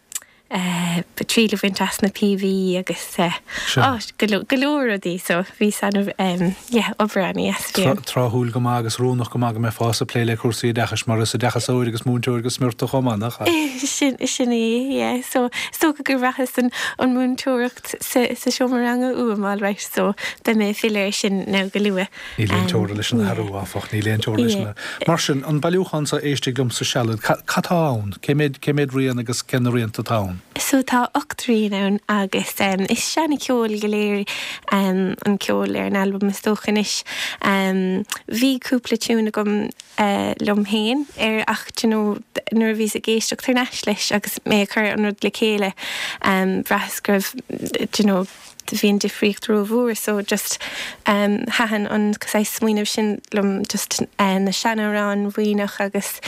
Speaker 5: triail a bhaint as na píobaí agus go leor rudaí so bhí an yeah obair an-dheas bhí
Speaker 1: an. Tráthúil go maith agus oiriúnach go maith go mbeifeá ag plé le cúrsaí oideachais mar is oideachasóir agus múinteoir go smior tú chomh maith, nach
Speaker 5: ea? Sin sin é yeah so is dócha gur bhraitheas an an múinteoireacht sa sa seomra ranga uaim alright so beidh mé ag filleadh air sin now go luath.
Speaker 1: Níl aon teora leis an athrú áfach, níl aon teora leis an Mar sin, an bailiúchán so Éistigh Liom sa Sealad, cad tá ann? Cé méad cé méad rian agus cé na rianta atá ann?
Speaker 5: So tá ocht rian ann agus is seana-cheol go léir an ceol ar an albam is dócha anois. Bhí cúpla tiún agam liom féin air ach do you know nuair a bhíos ag éisteacht thar n-ais leis agus mé ag cur an rud le chéile bhraitheas go raibh do you know bhí an difríocht rómhór so just thaitin an saghas smaoineamh sin liom just na seanamhráin Mhuimhneach agus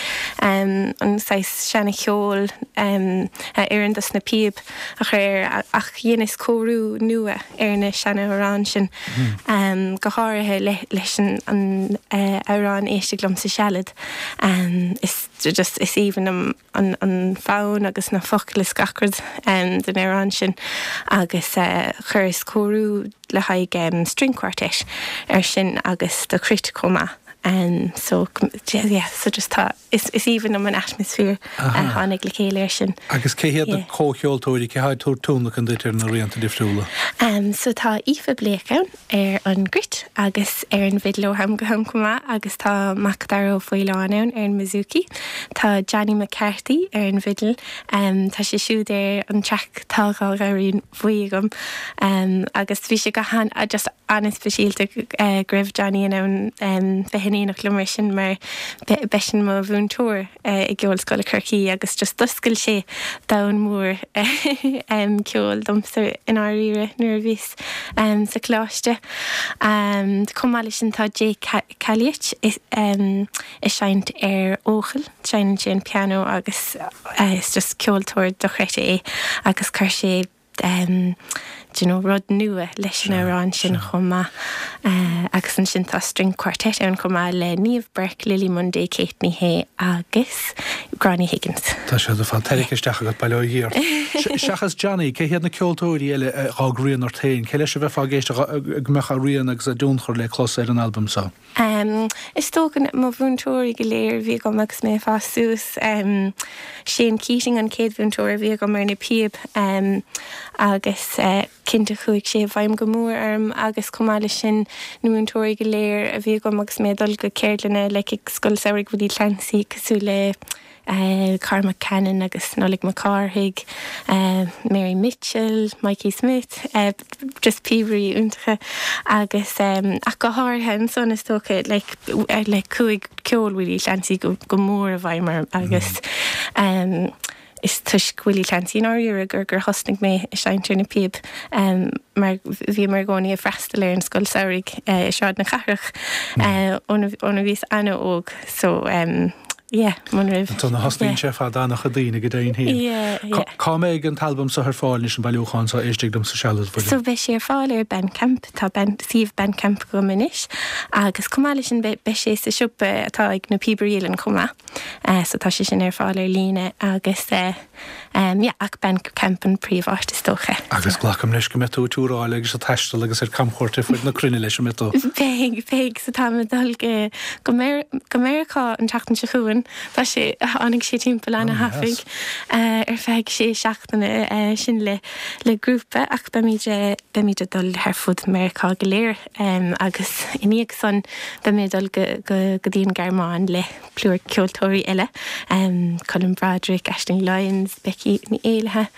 Speaker 5: an saghas seana-cheol a oireann dos na píob a chur air ach dheineas cóiriú nua ar na seanamhráin sin go háirithe leis an amhrán Éistigh Liom sa Sealad is just is aoibhinn liom an an fonn agus na focail is gach rud den amhrán sin agus chuireas cóiriú le haghaidh string quartet ar sin agus do chruit chomh maith so yeah so just tá is is aoibhinn liom an atmaisféar a tháinig le chéile ar sin.
Speaker 1: Agus cé hiad na comhcheoltóirí, cé há ag tabhairt tionlacan duit ar na rianta difriúla?
Speaker 5: So tá Aoife Blake ann ar an gcruit agus ar an bhfidil ó am go ham chomh maith agus tá Macdara Ó Faoláin ann ar an mbouzouki. Tá Johnny McCarthy ar an bhfidil, tá sé siúd ar an traic Tá dhá ghamhairín bhuí agam agus bhí sé go han just an-speisialta go raibh Johnny in ann bheith in éineacht liom ar sin mar b'eisean mo mhúinteoir i gCeolscoil Chorcaí agus just d'oscail sé domhan mór ceoil domsa i ndáiríre nuair a bhíos sa choláiste. Chomh maith leis sin tá Jake Calliet ag seinnt ar fhocal, seinneann sé an pianó agus is just ceoltóir dochreidte é agus chuir sé do you know rud nua leis an amhrán sin chomh maith. Agus ansin tá string quartet ann chomh maith le Niamh Burke, Lily Munday, Kate Ní Shé agus Gráinne Higgins.
Speaker 1: Tá siad ar fad tarraingthe isteach agat, bail ó Dhia ort. Seachas Johnny, cé hiad na ceoltóirí eile a d'fhág rian ort féin? Cé leis a bheifeá ag éisteacht go mbeadh a rian agus a dtionchar le clos ar an albam seo?
Speaker 5: Is dócha mo mhúinteoirí go léir a bhí agam agus mé ag fás suas. Shane Keating an chéad mhúinteoir a bhí agam ar na píob agus cinnte chuaigh sé i bhfeidhm go mór orm agus chomh maith leis sin na múinteoirí go léir a bhí agam agus mé ag dul go ceardlanna like ag Scoil Samhraidh Willie Clancy cosúil le Cormac Cannon agus Nollaig Mac Cárthaigh, Mary Mitchell, Mikey Smith, just píobairí iontacha agus ach go háirithe ansan is dócha like like chuaigh ceol Willie Clancy go go mór i bhfeidhm orm agus is toisc Willie Clancy i ndáiríre gur gur thosnaigh mé ag seinnt ar na píob mar bhíomar i gcónaí ag freastal ar an scoil samhraidh i Sráid na Cathrach óna bhíos an-óg so yeah muna raibh.
Speaker 1: Ansan a thosnaíonn sé fad an-chuid daoine go deimhin féin.
Speaker 5: Yeah, yeah.
Speaker 1: Cá mbeidh an t-albam seo ar fáil anois, an bailiúchán seo, Éistigh Liom sa Sealad,
Speaker 5: William? So beidh sé ar fáil ar Bandcamp, tá band, suíomh Bandcamp agam anois agus chomh maith leis sin beidh sé sa siopa atá ag na Píobairí Uilleann chomh maith. So tá sé sin ar fáil ar líne agus yeah ach Bandcamp an príomháit is dócha.
Speaker 1: Agus glacaim leis go mbeidh tú ag túráil agus ag taisteal agus ar camchuairt ar fud na cruinne leis, an mbeidh tú?
Speaker 5: Beidh, beidh, so táim ag dul go go go Meiriceá an tseachtain seo chugainn, tá sé, tháinig sé timpeall ana-thapaidh ar feadh sé seachtaine sin le le grúpa ach beimid beimid ag dul thar fud Meiriceá go léir agus i ndiaidh san beimid ag dul go go go dtí an Ghearmáin le plúr ceoltóirí eile, Colm Broderick, Aisling Lyons, Burns, Becky Ní Éallaithe,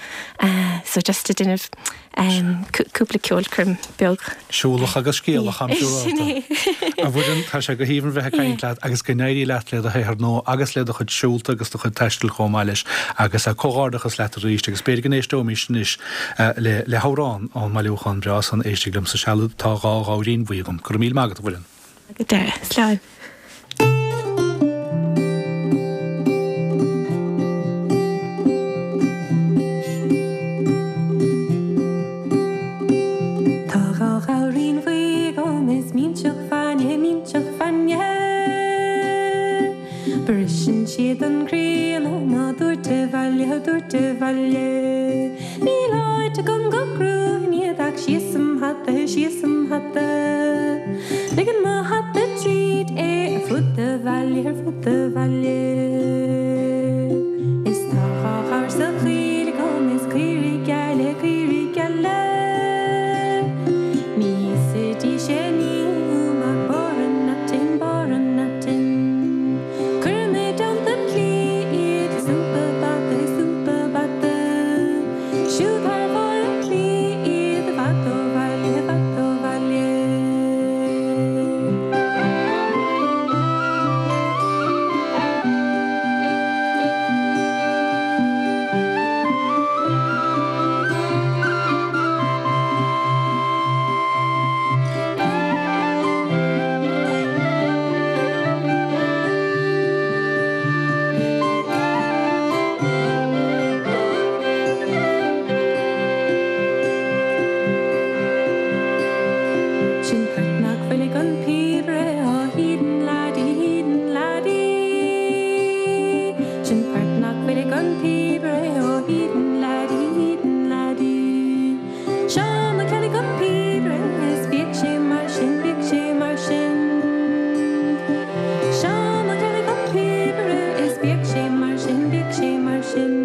Speaker 5: so just ag déanamh cúpla ceolchoirm beag.
Speaker 1: Siúlach agus scéalach am siúlálta. A Mhuireann, tá sé go haoibhinn bheith ag caint leat agus go n-éirí leat le do shaothar nua agus le do chuid siúlta agus do chuid taistil chomh maith leis agus comhghairdeachas leat arís agus b'fhéidir go n-éisteoimis anois le le hamhrán ón mbailiúchán breá san Éistigh Liomsa Sealad Tá Dhá Ghabhairín Bhuí Agam. Go raibh míle maith agat, a Mhuireann.
Speaker 5: Go deireadh. Slán. Tá dhá ghabhairín bhuí agam is minseach fáinne, minseach fáinne. Briseann siad an croí ionam á dtabhairt abhaile, á dtabhairt abhaile. Níl áit agam go gcrúfainn iad ach síos im hata, síos im hata. Ligeann mo hata tríd é ar fud an bhaile, ar fud an bhaile. Is tá dhá ghabhar sa choill agam is caoirigh geala, caoirigh geala. Ní íosfaidís aon ní uaim ach barr an aitinn, barr an aitinn. Cuirim i dteannta an tslí iad le súp bata, le súp bata. Siúd thar bharr an tslí iad i bhfad ó bhaile, i bhfad ó bhaile. Sin port nach bhfuil ag an píobaire, á hídan laddie, hídan laddie. Sin port nach bhfuil ag an píobaire, á hídan laddie, hídan laddie. Seán Ó Ceallaigh an píobaire, is bíodh sé mar sin, bíodh sé mar sin. Seán Ó Ceallaigh an píobaire, is bíodh sé mar sin, bíodh sé mar sin.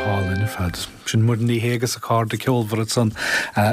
Speaker 1: Hálainn ar fad. Sin Muireann Ní Shé agus a cairde ceolmhara ansan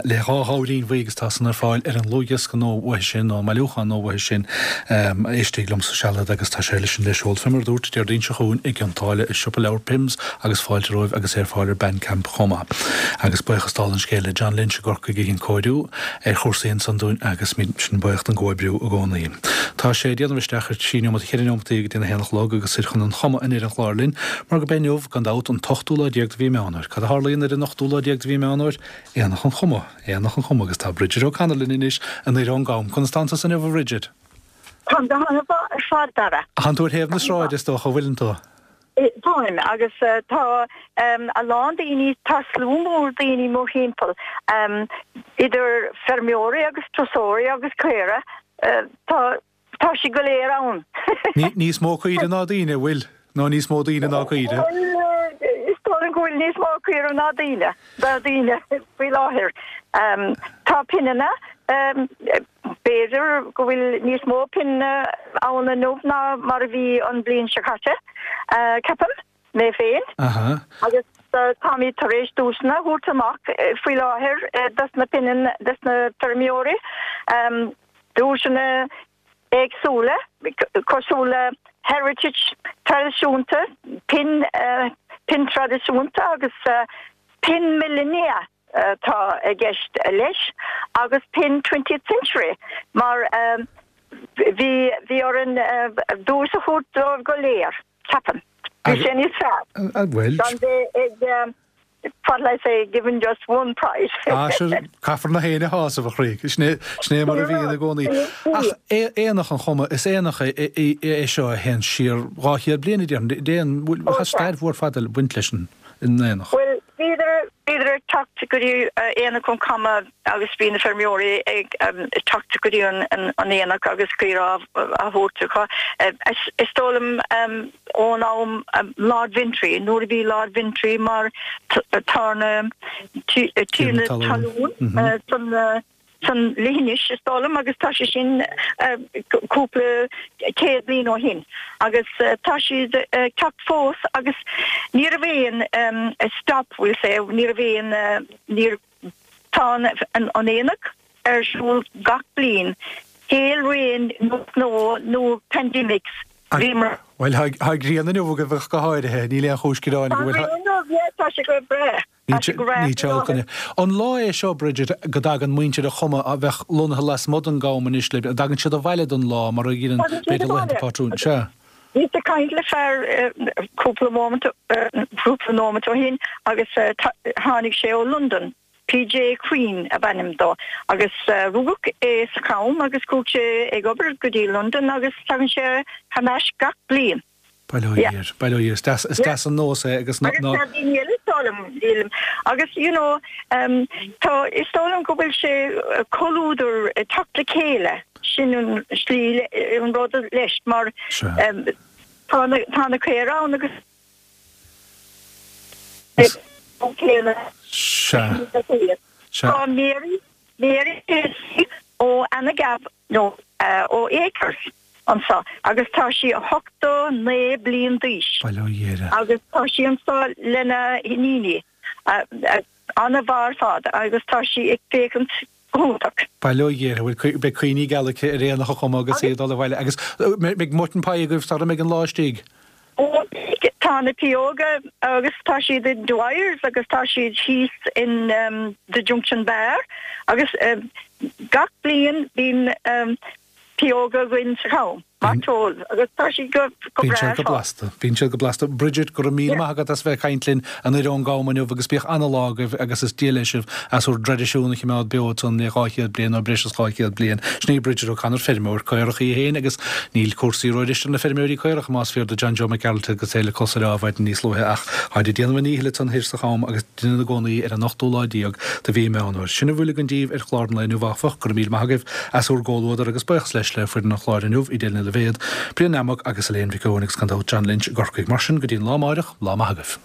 Speaker 1: le dhá ghabhairín bhuí agus tá san ar fáil ar an dlúthdhiosca nua uaithi sin nó an mbailiúchán nua uaithi sin Éistigh Liomsa Sealad agus tá sé leis an le seoladh fé mar a dúrt Déardaoin seo chugainn i gCionn tSáile i siopa leabhar Pims agus fáilte romhaibh agus é ar fáil ar Bandcamp chomh maith. Agus buíochas dála an scéil le John Lynch i gCorcaigh a dhein cóiriú ar chúrsaí ansan dúinn agus sin buíoch don gcomhoibriú i gcónaí. Tá sé ag déanamh isteach ar trí neomat cheithre neomataí go dtí a haon a chlog agus ar chun an chuma an ar an chlár linn mar go inniu gan dabht an t-ochtú lá déag de mhí Meán Fómhair. Cad a tharlaíonn ar an ochtú lá déag de mhí Meán Fómhair? Aonach an Chuma, Aonach an Chuma agus tá Bridget O'Connell linn anois anoir ón gCam. Conas tánn tusa inniu a Bhridget?
Speaker 6: Tá go han-mhaith ar fad Dara.
Speaker 1: Tánn tú ar thaobh na sráide is dócha bhfuileann tú?
Speaker 6: Táim agus tá a lán daoine tá slua mór daoine mórthimpeall idir feirmeoirí agus turasóirí agus caora tá tá siad go léir ann.
Speaker 1: Níos mó caoire ná daoine bhfuil nó níos mó daoine ná caoire?
Speaker 6: Is dóigh go bhfuil níos mó caoire ná daoine ná daoine faoi láthair. Tá pionanna b'fhéidir go bhfuil níos mó pionanna ann inniu ná mar a bhí an bhliain seo caite, ceapaim, mé féin. Agus táimid tar éis duaiseanna a thabhairt amach faoi láthair dos na pionanna dos na feirmeoirí, duaiseanna éagsúla cosúil le heritage traidisiúnta, pinn pinn traidisiúnta agus pinn millennia atá i gceist leis agus pinn twentieth century mar bhí bhí orainn duais a thabhairt dóibh go léir, ceapaim. Bhí sé níos fearr.
Speaker 1: Bhuel.
Speaker 6: Gan bheith ag what I say, given just one prize.
Speaker 1: Ah, sure, caithfear gach éinne a shásamh a chroí. Sin é sin é mar a bhíonn i gcónaí. Ach Aonach an Choma, is aonach é é seo a théann siar dhá chéad bliain a déarfainn. Déan, bhfuil stair mhór fada ag baint leis an aonach.
Speaker 6: Bhuel, bhíodar bhíodar ag teacht go dtí Aonach an Choma agus bhí na feirmeoirí ag teacht go dtí an an aonach agus caora á thabhairt acu. Is dóigh liom ón am Lord Ventry, nuair a bhí Lord Ventry mar tiarna tiarna talún san san leithinis is dóigh liom agus tá sé sin cúpla céad bliain ó shin agus tá siad ag teacht fós agus ní raibh aon stop we'll say ní raibh aon níor tá an aonach ar siúl gach bliain hail rain nó snow nó pandemics bhíomar
Speaker 1: Bhuel tá grian inniu agaibh go háirithe, níl aon chúis gearáin go bhfuil.
Speaker 6: Tá grian inniu, yeah, tá sé go breá.
Speaker 1: Ní teolcaine. An lá é seo, Bridget, go dtagann muintir an Choma a bheadh lonnaithe lasmuigh den gCam anois le, dtagann siad abhaile don lá mar a dheineann b'fhéidir laethanta pátrúin? Sea.
Speaker 6: Bhíos ag caint le fear cúpla móimint, cúpla nóimeat ó shin agus tháinig sé ó Londain, PJ Queen ab ainm dó, agus rugadh é sa Cham agus chuaigh sé ag obair go dtí Londain agus tagann sé thar n-ais gach bliain.
Speaker 1: Bail ó Dhia air, bail ó Dhia air. Is deas, is deas an nós é agus ná.
Speaker 6: Agus tá daoine eile is dóigh liom, nílim, agus you know tá, is dóigh liom go bhfuil sé comhluadar ag teacht le chéile, sin an slí, an rud leis mar tá na, tá na caora ann agus
Speaker 1: Sea. Sea.
Speaker 6: Tá Mary, Mary Casey ó Anagab nó ó Acres anseo agus tá sí ochtó naoi bliain d'aois.
Speaker 1: Bail ó Dhia uirthi.
Speaker 6: Agus tá sí anseo lena hiníon, an-mhaith ar fad agus tá sí ag féachaint go hiontach.
Speaker 1: Bail ó Dhia uirthi. Bhuel, beidh cuimhní geala aici ar Aonach an Choma agus í ag dul abhaile. Agus beidh mutton pie agaibh sara mbeidh an lá istigh?
Speaker 6: Ó, tá na pióga agus tá siad i Dwyers agus tá siad thíos in The Junction Bar agus gach bliain bíonn pióga againn sa Cham, mairteoil, agus tá siad go
Speaker 1: Bíonn
Speaker 6: breá
Speaker 1: siad
Speaker 6: ar
Speaker 1: go
Speaker 6: fad.
Speaker 1: blasta. Bíonn siad go blasta. Bridget, go raibh míle maith agat as bheith ag caint linn anoir ón gCam inniu agus bíodh ana-lá agaibh agus is Dia leis sibh as bhur dtraidisiún a choimeád beo ansan le dhá chéad bliain nó breis is dhá chéad bliain. Sin í Bridget O'Connor, feirmeoir caorach í féin agus níl cúrsaí ródheis ar na feirmeoirí caorach más fíor do John Joe Mac Gearailt agus é le cos ar adhmaid níos luaithe ach táid ag déanamh a ndíchill ansan thoir sa Cham agus deineann i gcónaí ar an ochtú lá déag de mhí Meán Fhómhair. Sin a bhfuil againn díbh ar chlár an lae inniu áfach, go raibh míle maith agaibh as bhur gcomhluadar agus buíochas leis le foireann an chláir inniu, Edel Ní Loibhéad, Brian Nammock agus Elaine Mhic Eoin agus gan dabht John Lynch i gCorcaigh. Mar sin, go dtí an lá amáireach, lá maith agaibh.